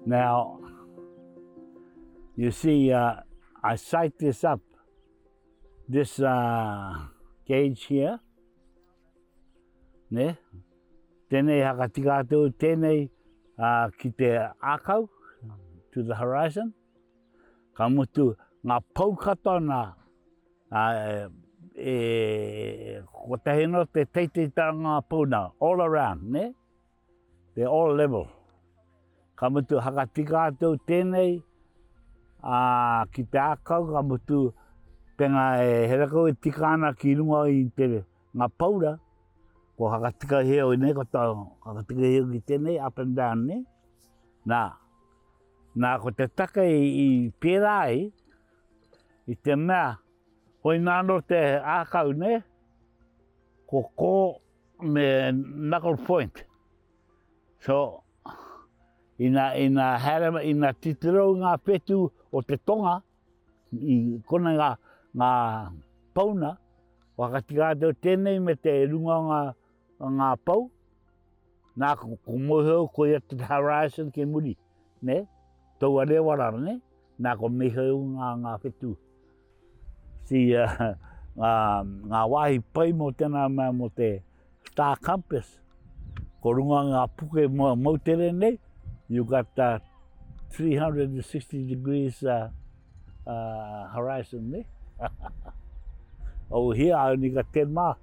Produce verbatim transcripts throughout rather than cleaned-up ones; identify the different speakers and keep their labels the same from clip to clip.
Speaker 1: Now, you see, uh, I sight this up, this uh, gauge here, ne? Tēnei hakatika atu, tēnei uh, ki te ākau, to the horizon. Ka mutu, ngā pou katoa nā, uh, e, kotahi no te teiteitanga ngā pou nā, all around, ne? They're all level. Ka mutu, hakatika atu tēnei uh, ki te ākau, ka mutu, penga e herakau e tika ana ki runga i te ngā paura, ko hakatika heo i nei, ko tā hakatika heo ki tēnei, up and down, ne? Nā, nā ko te take i, i pērā ai, i te mea, hoi nāno te ākau, ne? Ko kō me knuckle point. So, ina, ina, haere, ina titiro ngā whetū o te tonga, i kona ngā, ngā pauna, whakatika atu tēnei me te runga o ngā, o ngā pou, nā ko, ko mohio ko ia te horizon ke muri, ne? Taua rewara, ne? Nā ko meheu ngā, ngā whetū. Si, uh, ngā, ngā wāhi pai mō tēnā mea mō te Star Compass, ko runga ngā puke mo moutere nei, you got uh, three hundred and sixty degrees uh, uh, horizon, ne? Over here, I only got ten mile.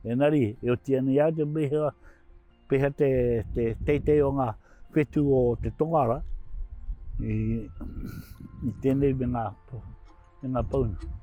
Speaker 1: Engari, e oti ana i au te meha, peha te, te teitei o ngā whetū o te tongara i, i tēnei me ngā, me ngā pauna.